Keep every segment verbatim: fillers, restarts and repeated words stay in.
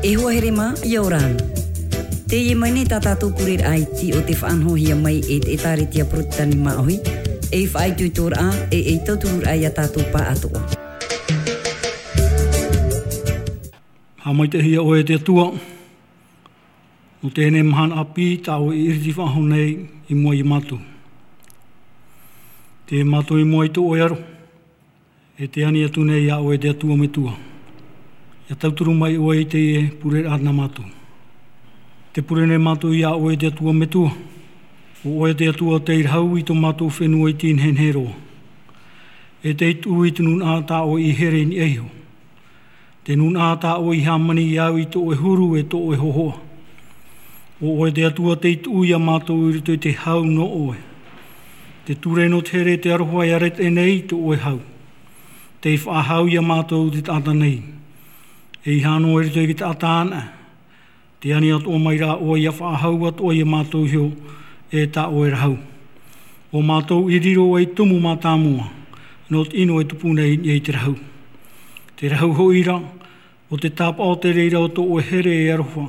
E hoa here mā, ʻia ora na. Teie mai nei tā tātou pureraʻa iti o te faʻanahohia mai e te ʻĒtārētia Porotetani Māʻohi, ei faʻaitoitoraʻa, e ei tautururaʻa ia tātou pāʻatoʻa. Haʻamaitaʻihia ʻoe e te Atua, nō teie mahana ʻāpī, tā ʻoe i iriti faʻahou nei i mua ia mātou. Tē mātou i mua i tō ʻoe aro, e tē ani atu nei iā ʻoe e te Atua Metua, ʻia tauturu mai ʻoe i teie pureraʻa nā mātou. Tē pure nei mātou iā ʻoe e te Atua Metua, ʻo ʻoe te Atua tei rahau i tō mātou fenua iti nehenehe roa. E tei tuʻu i te nūnaʻa tā ʻoe i here i niʻa iho. Te nūnaʻa tā ʻoe i hāmani iāʻu i tō ʻoe huru e tō ʻoe hōhoʻa. ʻO ʻoe te Atua tei tuʻu ia mātou i roto i te hau nō ʻoe. Te ture nō te here, te aroha e ʻāreteʻe nei i tō ʻoe hau. Tei faʻahau ia mātou te taʻata nei. E ʻeiaha noa i roto i te taʻata anaʻe. Tē ani atoʻa mai rā ʻoe ʻia faʻahau atoʻa ia mātou iho e tā ʻoe rahau. ʻO mātou i riro ei tumu mātāmua, nō te ʻino e tupu nei i niʻa i te rahau. Te rahau hoʻi ra, ʻo te tāpaʻo o te reira o tō ʻoe here e aroha,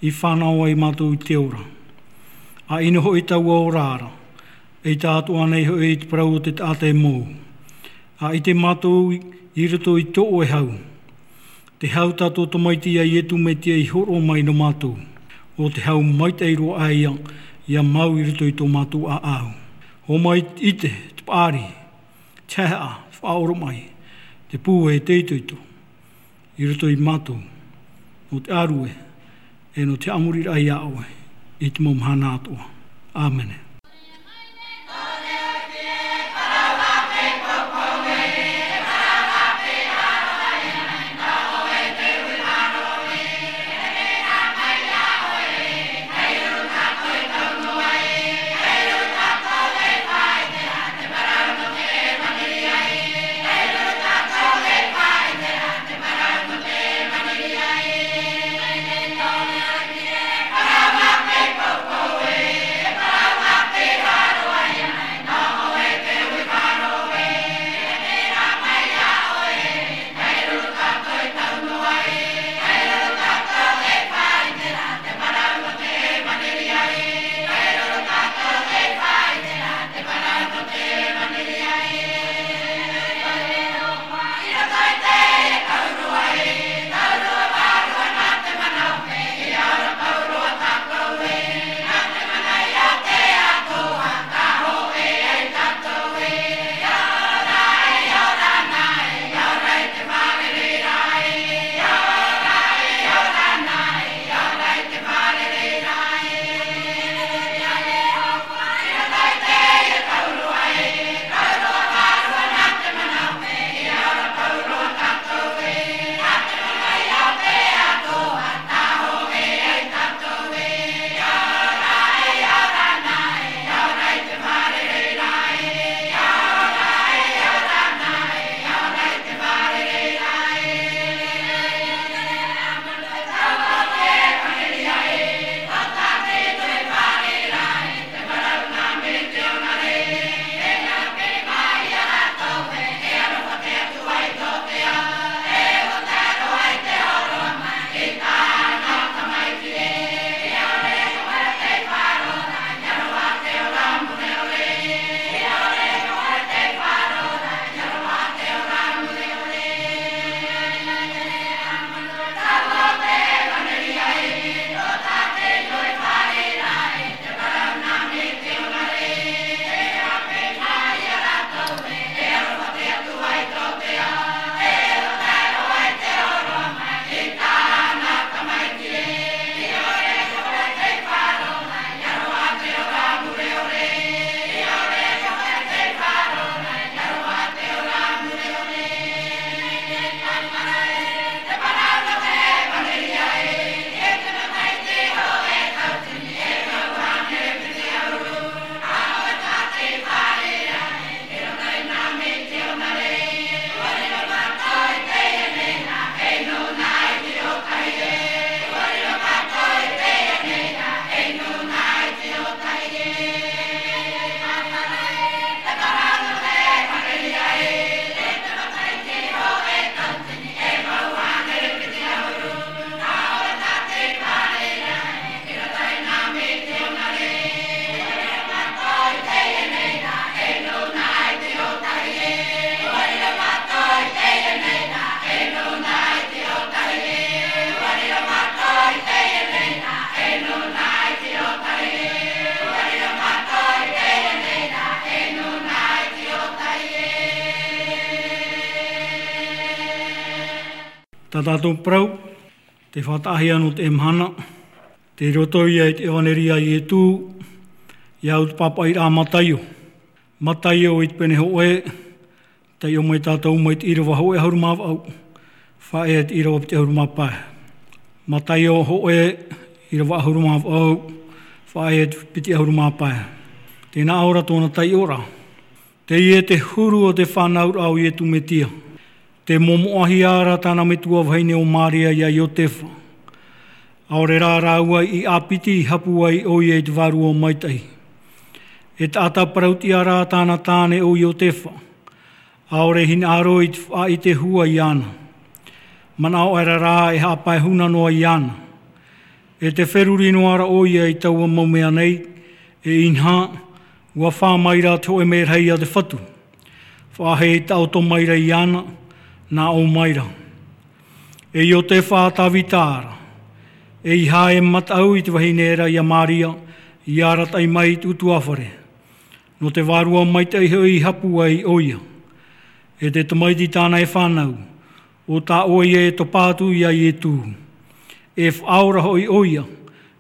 i fānau ai mātou i te ora. ʻA ʻino hoʻi taua ora ra, ʻeita atoʻa nei hoʻi i te parau o te taʻata e mou. ʻA ʻite mātou i roto i tō ʻoe hau. Te hau tā tō tamaiti ia Ietu Metia i hōroʻa mai nō mātou. ʻO te hau maitaʻi roa ʻae ia, ʻia mau i roto i tō mātou ʻāʻau. Hōmai i te, te paʻari, te haʻehaʻa, te faʻaoromaʻi, te pūai, te itoito. I roto ia mātou, nō te ʻāruʻe, e nō te haʻamoriraʻa iā ʻoe, i te mau mahana atoʻa. ʻĀmene. Tā tātou parau, te faʻataʻahia nō te mahana, tei roto ia i te ʻevaneria a Ietu, ia au te pāpaʻiraʻa a Mataio. Mataio i te pene hōʻē, taiʻo mai tātou mai te ʻīrava hōʻē ʻahuru mā vaʻu, faʻaea i te ʻīrava piti ʻahuru mā pae. Mataio hōʻē, ʻīrava ʻahuru mā vaʻu, faʻaea i te piti ʻahuru mā pae. Tēnā ʻoia tōna taiʻoraʻa. Teie te huru o te fānauraʻa o Ietu Metia. Tē momoʻahia ra tāna metua vahine ʻo Maria ia Iotefa. ʻAore rā rāua i ʻāpiti i hapū ai ʻoia i te Vārua Maitaʻi. E taʻata parauʻtiʻa rā tāna tāne ʻo Iotefa. ʻAore hinaʻaro i te faʻaʻite hua iāna. Manaʻo aʻera rā e haʻapae huna noa iāna. E tē feruri noa ra ʻoia i taua mau mea nei, e inaha, ʻua fā mai ra te hōʻē mērahi a te Fatu. Faʻaʻite taʻoto mai ra iāna, nā ʻō mai ra. E Iotefa a Tavita ra. ʻEiaha e mataʻu i te vahine ra ia Maria, i arataʻi mai i te ʻutuāfare. Nō te Vārua Maitaʻi hoʻi i hapū ai ʻoia. E te tamaiti tāna e fānau, ʻo tā ʻoia e topa atu ia Ietu. E faʻaora hoʻi ʻoia,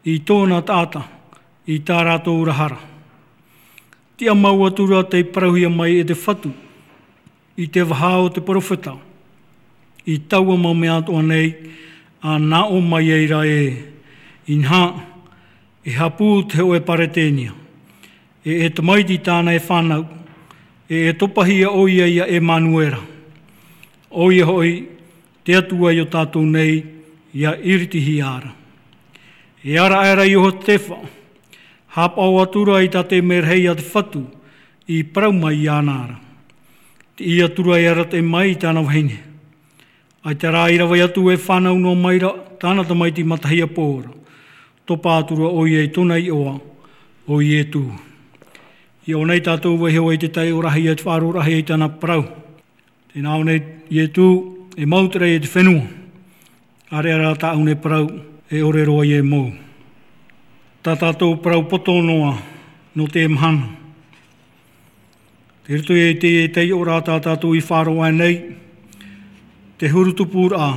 i tōna taʻata, i tā rātou ra hara. Tiʻa mau atu ra tei parauhia mai e te Fatu, i te vaha o te peropheta, i taua mau mea atoʻa nei, ʻa nā ʻō mai ai ra ē, inaha, e hapū te hōʻē Paretenia. E, e tamaiti tāna e fānau, e, e topahia ʻoia ia Emanuera. ʻOia hoʻi, te Atua iō tātou nei, ia iritihia ra. E ara aʻera Iotefa, haʻapaʻo atu ra i tā te mērahi a te Fatu, i parau mai iāna ra. Te ia tura e arataʻi mai i tāna vahine. ʻAita rā i rave atu e fānau noa mai ra, tāna tamaiti matahiapo ra. Topa atu ra ʻoia i tōna iʻoa, ʻo Ietu. I ʻō nei tātou vaiho ai te taiʻoraʻahia i te faʻaroʻoraʻahia i tāna parau. Tēnā ʻō nei Ietu, e mau te raʻi e te fenua. ʻAreʻa rā tāʻu nei parau, e ʻore roa ia e mau. Tā tātou parau poto noa, nō te mahana. Tei roto i te taiʻoraʻa tā tātou i faʻaroʻo nei, te huru tupuraʻa,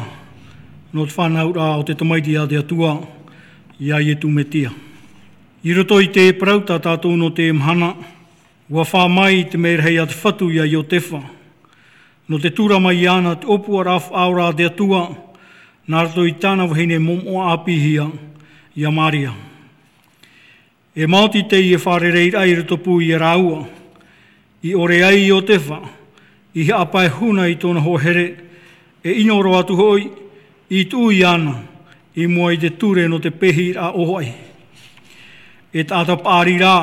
nō te fānauraʻa o te tamaiti a te Atua, ia Ietu Metia. I roto i te parau tā tātou nō te mahana, ʻua fā mai te mērahi a te Fatu ia Iotefa. Nō te tura mai iāna te ʻōpuaraʻa faʻaora a te Atua, nā roto i tāna vahine momoʻa ʻāpīhia, ia Maria. E maoti teie fārereiraʻa i roto pū ia rāua. I ʻore ai Iotefa, i haʻapae huna i tōna hoa here, e ʻino roa atu hoʻi, i tuʻu iāna, i mua i te ture nō te pēhiraʻa ʻōfaʻi. E taʻata paʻari rā,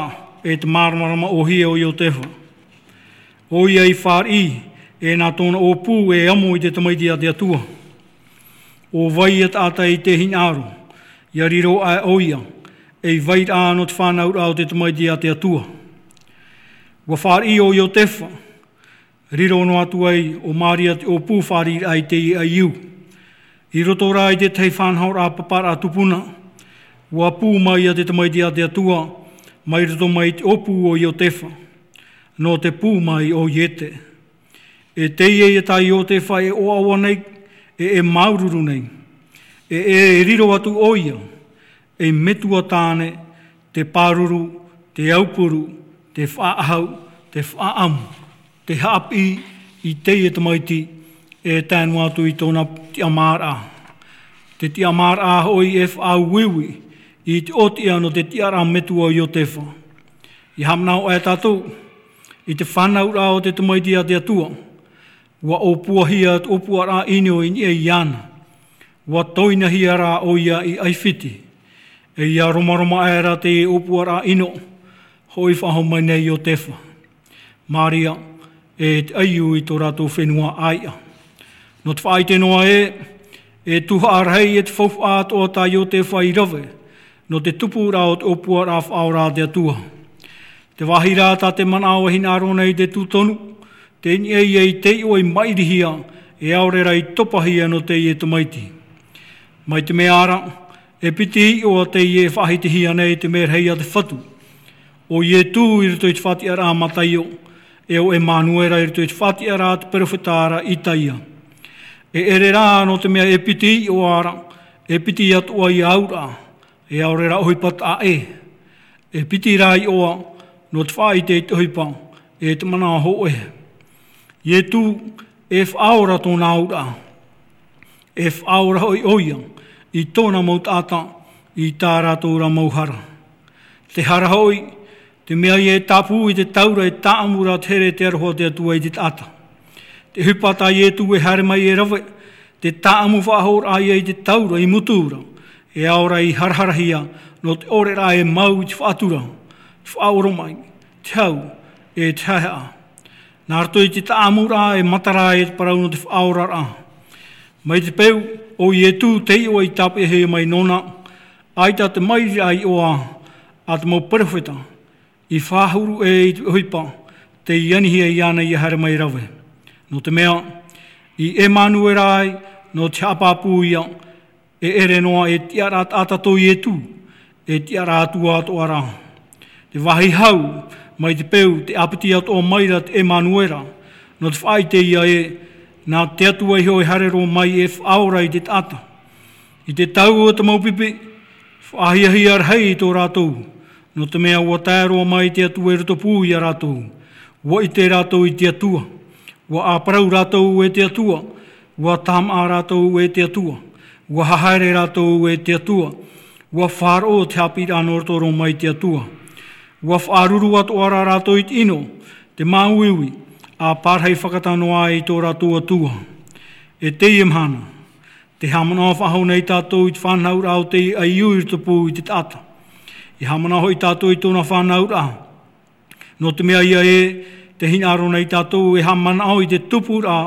e te māramarama ʻōhie ʻo Iotefa. ʻOia i fāriʻi, e nā tōna ʻōpū e amo i te tamaiti a te Atua. ʻO vai ia taʻata i te hinaʻaro, ia riro aʻe ʻoia, ei vairaʻa nō te fānauraʻa o te tamaiti a te Atua. ʻUa fāriʻi ʻo Iotefa, riro noa atu ai ʻo Maria te ʻōpū fāriʻiraʻa i teie ʻaiū. I roto rā i te tahi faʻanahoraʻa paparaʻa tupuna, ʻua pū mai ia te tamaiti a te Atua, mai roto mai te ʻōpū o Iotefa. Nō te pū mai o Iete. E teie ia tā Iotefa e ʻoaʻoa nei, e, e māuruuru nei. E, e, e riro atu ʻoia, ei metua tāne, te pāruru, te aupuru, te faʻaʻahu, te faʻaʻamu, te haʻapiʻi i teie tamaiti, e tae noa atu i tōna tiʻamāraʻa. Te tiʻamāraʻa hoʻi e faʻauiui, i te ʻōtiʻa nō te tiʻaraʻa metua o Iotefa. ʻIa haʻamanaʻo aʻe tātou, i te fānauraʻa o te tamaiti a te Atua, ʻua ʻōpuahia te ʻōpuaraʻa ʻino i niʻa iāna. ʻUa toinahia rā ʻoia i ʻAifiti. E ʻia romaroma aʻe ra te ʻōpuaraʻa ʻino, hoʻi faʻahou mai nei Iotefa. Maria, e te ʻaiū i tō rātou fenua ʻāiʻa. Nō te faʻaʻite noa ē, e tuhaʻa rahi e te faufaʻa atoʻa tā Iotefa i rave, nō te tupuraʻa o te ʻōpuaraʻa faʻaora a te Atua. Te vāhi rā tā te manaʻo e hinaʻaro nei te tū tonu, tei niʻa ia i te iʻoa i maʻirihia, e ʻaore rā i topahia nō teie tamaiti. Mai te mea ra, e piti iʻoa teie e faʻahitihia nei te mērahi a te Fatu. ʻO Ietu i roto i te faʻatiʻaraʻa a Mataio, e ʻo Emanuera i roto i te faʻatiʻaraʻa a te peropheta ra Itaia. E ʻere rā nō te mea e piti iʻoa ra, e piti atoʻa ia auraʻa, e ʻaore rā ʻohipa taʻa ʻē. E piti rā iʻoa nō te faʻaʻite i te ʻohipa, e te mana hōʻē. Ietu, e faʻaora tōna auraʻa. E faʻaora hoʻi ʻoia i tōna mau taʻata, i tā rātou rā mau hara. Te hara hoʻi, te mea ia e tāpū i te taura e taʻamu ra te here te aroha o te Atua i te taʻata. Te ʻohipa tā Ietu e haere mai e rave, te taʻamu faʻahoʻiraʻa ia i te taura i mutu ra, e ao ra i haraharahia nō te ʻore rā e mau i te faʻatura, te faʻaoromaʻi, te hau, e te haehaʻa. Nā roto i te taʻamuraʻa e matara ai te parau nō te faʻaoraraʻa. Mai te peu, ʻo Ietu te iʻoa i tāpeʻahia mai nōna, ʻaita te mairiraʻa iʻoa a te mau perofeta, i faʻahuru ʻē i te ʻohipa, tei anihia iāna ia haere mai rave. Nō te mea, i ʻEmanuera ai, nō te haʻapāpū ia, e ʻere noa e tiʻaraʻa taʻata tō Ietu, e tiʻaraʻa Atua atoʻa rā. Te vāhi hau, mai te peu, te ʻāpiti atoʻa mai ra te ʻEmanuera, nō te faʻaʻite ia ē, nā te Atua iho e haere roa mai e faʻaora i te taʻata. I te tau o te mau pipi, faʻahiahia rahi i tō rātou, nō te mea ʻua tae roa mai te Atua i roto pū ia rātou. ʻUa ʻite rātou i te Atua, ʻua ʻāparau rātou e te Atua, ʻua tāmāʻa rātou e te Atua, ʻua hahaere rātou e te Atua, ʻua faʻaroʻo te haʻapiʻiraʻa nō roto roa mai te Atua. ʻUa faʻaruru atoʻa ra rātou i te ʻino, te māuiui, ʻa pārahi fakatano ai i tō rātou Atua. E teie mahana, tē haʻamanaʻo faʻahou nei tātou i te fānauraʻa o te ʻaiū i roto pū i te taʻata. E haʻamanaʻo hoʻi tātou i tōna fānauraʻa. Nō te mea ia ē, tē hinaʻaro nei tātou e haʻamanaʻo i te tupuraʻa,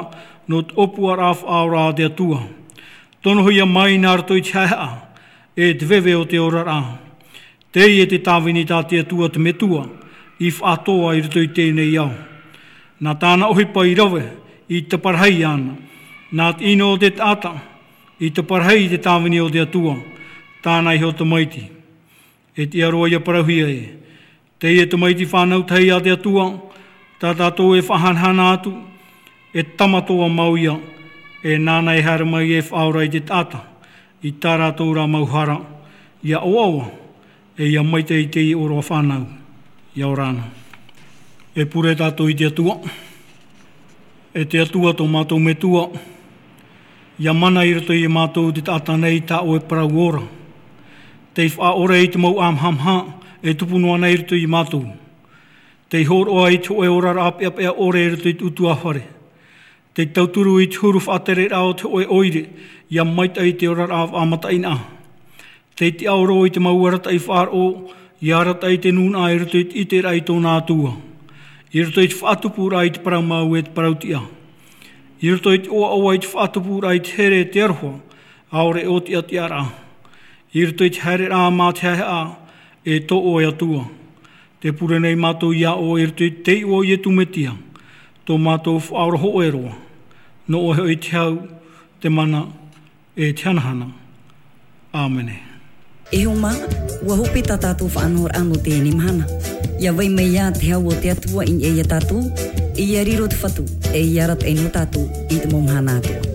nō te ʻōpuaraʻa faʻaora a te Atua. Tonohia mai nā roto i te haehaʻa, e te veve o te oraraʻa. Teie te tāvini tā te Atua te Metua, i faʻatoa i roto i teie nei ao. Nā tāna ʻohipa i rave, i taparahi iāna. Nā te ʻino o te taʻata, i taparahi i te tāvini o te Atua, tāna iho tamaiti. E tiʻa roa ia parauhia ē. Teie tamaiti fānau tahi a te Atua, tā tātou e faʻahanahana atu, e tama toa mau ia, e nāna e haere mai e faʻaora i te taʻata, i tā rātou rā mau hara, ia ʻoaʻoa, e ia maitaʻi i te ʻōroʻa fānau, ia ora na. E pure tātou i te Atua. E te Atua tō mātou Metua, ia mana i roto ia mātou te taʻata nei tā ʻoe parau ora. Tei faʻaʻore i te mau ʻāmahamaha, e tupu noa nei i roto ia mātou. Tei hōroʻa i te hōʻē oraraʻa peʻapeʻa ʻore i roto i te ʻutuāfare. Tei tauturu i te huru faʻatereraʻa o te hōʻē ʻoire, ia maitaʻi i te oraraʻa faʻamataʻinaʻa. Tei tiʻaoro i te mau arataʻi faʻaroʻo, ia arataʻi i te nūnaʻa i roto i te ʻiteraʻa i tōna Atua. I roto i te faʻatupuraʻa i te parau mau e te parau tiʻa. I roto i te ʻoaʻoa i te faʻatupuraʻa i te here e te aroha, ʻaore ʻo te ʻatiʻaraʻa. I roto i te haereraʻa mā te haehaʻa, e tō ʻoe Atua. Tē pure nei mātou iā ʻoe i roto i te iʻoa o Ietu Metia, tō mātou Faʻaora hōʻē roa. Nō ʻoe hoʻi te hau, te mana, e te hanahana. ʻĀmene. E hoa mā, ʻua hope tā tātou faʻanahoraʻa nō teie mahana. ʻIa vai mai ā te hau o te Atua i niʻa ia tātou, e ʻia riro te Fatu, e ʻia arataʻi nō tātou i te mau mahana atoʻa.